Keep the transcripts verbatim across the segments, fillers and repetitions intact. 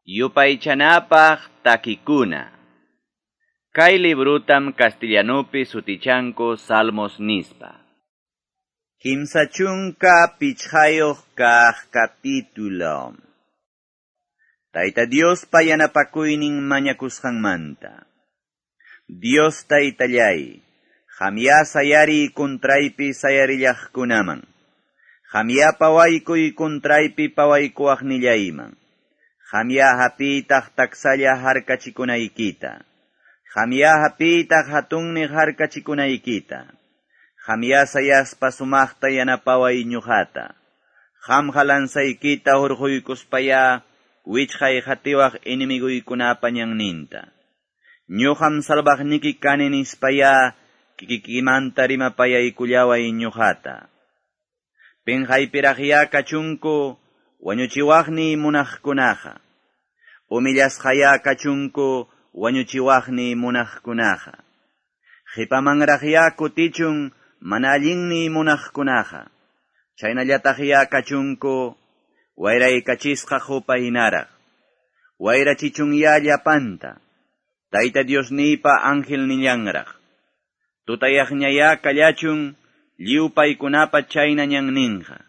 Yupaychanapaq takikuna. Kay librutam castellanupi sutichanku Salmos nispa. Kimsa chunka pichqayuq kaq capítulo. Tayta Diospa yanapakuynin mañakusqanmanta. Dios taytallay, qamyá sayariy contraypi sayarillaqkunaman. Qamyá pawaykuy contraypi pawaykuwaqnillayman. Qamyá hapiytaq taksalla harkachikunaykita. Qamyá hapiytaq hatunniq harkachikunaykita. Qamyá sayaspa sumaqta yanapaway ñuqata. Qamqa lanzaykita hurquykuspayá wichqay qatiwaq enemiguykunapa ñanninta. Ñuqam salvaqniki kani nispayá kikikimanta rimapayaykullaway ñuqata. Pinqaypiraqyá kachunku wañuchiwaqniy munaqkunaqa. Humillasqayá kachunku wañuchiwaqniy munaqkunaqa. Qhipamanraqyá kutichun mana allinniy munaqkunaqa. Chaynallataqyá kachunku wayraykachisqa qupa hinaraq. Wayrachichunyá llapanta. Tayta Diosniypa angelnillanraq. Tutayaqñayá kallachun lliw paykunapa chayna ñanninqa.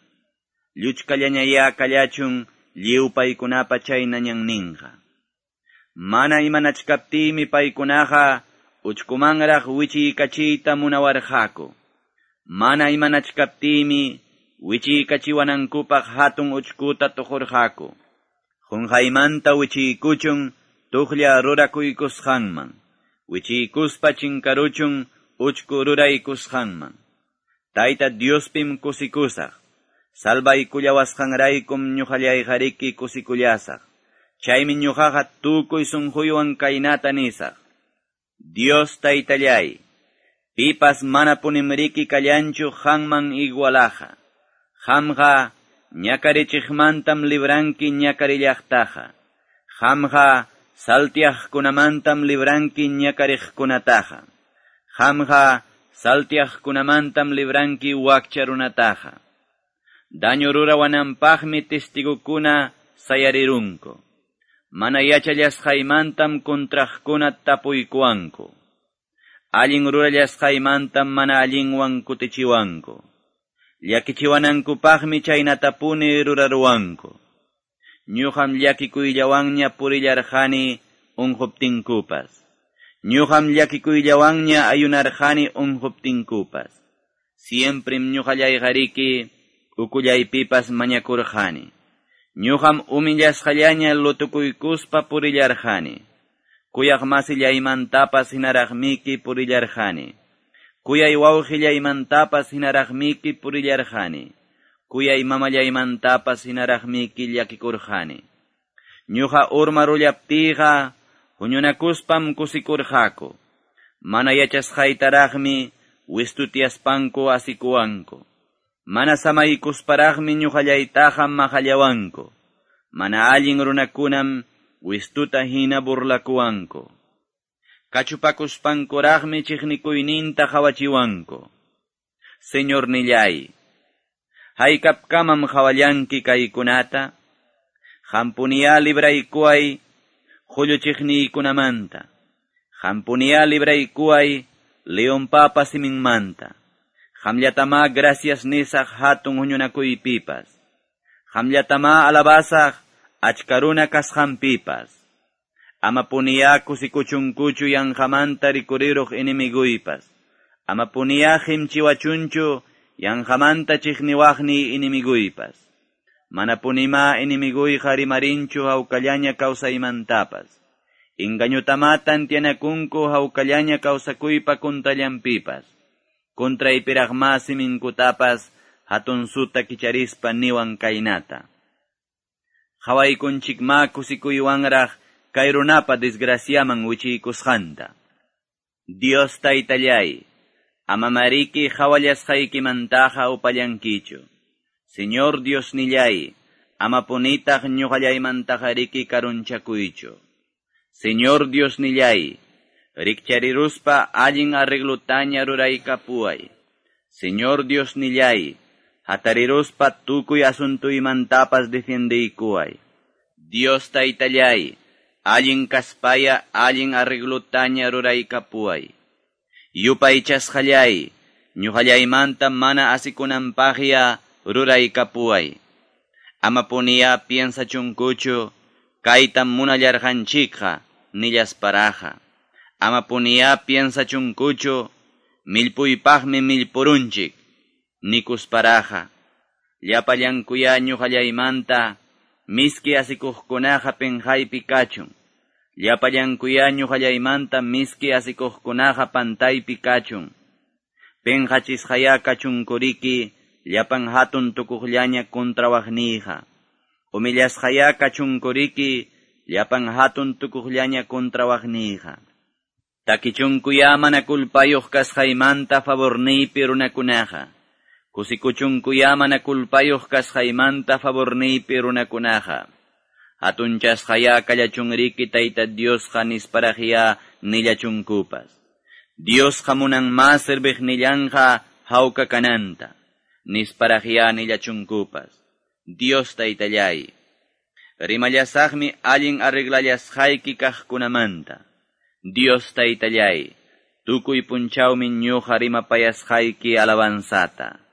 Lluchkallañayá kallachun lliw paykunapa chayna ñanninqa. Mana imanachkaptiymi paykunaqa uchkumanraq wichiykachiyta munawarqaku. Mana imanachkaptiymi wichiykachiwanankupaq hatun uchkuta tuqurqaku. Qunqaymanta wichiykuchun tuqlla rurakuykusqanman. Wichiykuspa chinkaruchun uchku ruraykusqanman. Tayta Diospim kusikusaq. Salvaykullawasqanraykum ñuqallayqariki kusikullasaq. Chaymi ñuqaqa tukuy sunquywan kaynata nisaq. Dios taytallay, pipas mana punimriki kallanchu qamman igualaqa. Qamqa ñakarichiqmantam libranki ñakarillaqtaqa. Qamqa saltiaqkunamantam libranki ñakariqkunataqa. Qamqa saltiaqkunamantam libranki wakcha runataqa. Daño rurawananpaqmi testigokuna sayarirunku. Mana yachallasqaymantam contraqkuna tapuykuwanku. Allin rurallasqaymantam mana allinwan kutichiwanku. Llakichiwanankupaqmi chaynatapuni ruraruwanku. Ñuqam llakikuyllawanña purillarqani unquptinkupas. Ñuqam llakikuyllawanña ayunarqani unquptinkupas. Siemprem ñuqallayqariki ukullaypipas mañakurqani. Ñuqam humillasqallaña lutukuykuspa purillarqani. Kuyaq masillaymantapas hinaraqmiki purillarqani. Kuyay wawqillaymantapas hinaraqmiki purillarqani. Kuyay mamallaymantapas hinaraqmiki llakikurqani. Ñuqa urmarullaptiyqa huñunakuspam kusikurqaku. Mana yachasqaytaraqmi wistutiaspanku asikuwanku. Mana samaykusparaqmi ñuqallaytaqa maqallawanku. Mana allin runakunam wistuta hina burlakuwanku. Kachupakuspankuraqmi chiqnikuyninta qawachiwanku. Señornillay, haykapkamam qawallanki kaykunata? Qampuniyá libraykuway qulluchiqniykunamanta. Qampuniyá libraykuway leonpapa siminmanta. Qamllatamá gracias nisaq hatun huñunakuypipas. Qamllatamá alabasaq achka runa kasqanpipas. Ama puniyá kusikuchunkuchu yanqamanta rikuriruq enemiguypas. Ama puniyá qimchiwachunchu yanqamanta chiqniwaqniy enemiguypas. Mana punimá enemiguyqa rimarinchu hawkallaña kawsaymantapas. Engañutamá tantianakunku hawkallaña kawsakuypa kuntallanpipas. Contraypiraqmá siminkutapas hatunsuta kicharispa niwan kaynata. Qhawaykunchikmá kusikuywanraq kay runapa desgraciaman wichiykusqanta. Dios taytallay, amamariki qhawallasqaykimantaqa upallankichu. Señor Diosnillay, amapunitaq ñuqallaymantaqa karunchakuychu. Señor Diosnillay, rikchariruspa allin arreglutaña ruraykapuway. Señor Diosnillay, hatariruspa tukuy asuntuymantapas defiendeykuway. Dios Taytallay, allin kaspaya allin arreglotaña ruraykapuway. Yupaychasqallay, ñuqallaymanta mana asikunanpaqya ruraykapuway. Amapuniya piensachunkuchu, kaytam munallarqanchikqa, nillasparaqa. Amapuniya piensachunkuchu, millpuypaqmi millpurunchik, nikusparaqa. Llapallankuya ñuqallaymanta, miski asikuqkunaqa penqaypi kachun. Llapallankuya ñuqallaymanta miski asikuqkunaqa pantaypi kachun. Penqachisqaya kachunkuriki, llapan hatun tukuqllaña kuntrawaqniyqa. Humillasqaya kachunkuriki, llapan hatun tukuqllaña kuntrawaqniyqa. Takichunkuya mana kulpayuq kasqaymanta favorniypi runakunaqa. Kusikuchunkuya mana kulpayuq kasqaymanta favorniypi runakunaqa. Hatunchasqaya kallachunriki Tayta Diosqa nisparaqya nillachunkupas. Diosqa munan ma serviqnillanqa hawka kananta. Nisparaqya nillachunkupas. Dios Taytallay. Rimallasaqmi allin arreglallasqayki kaqkunamanta. Dios Taytallay. Tukuy punchawmi ñuqa rimapayasqayki alabanzata.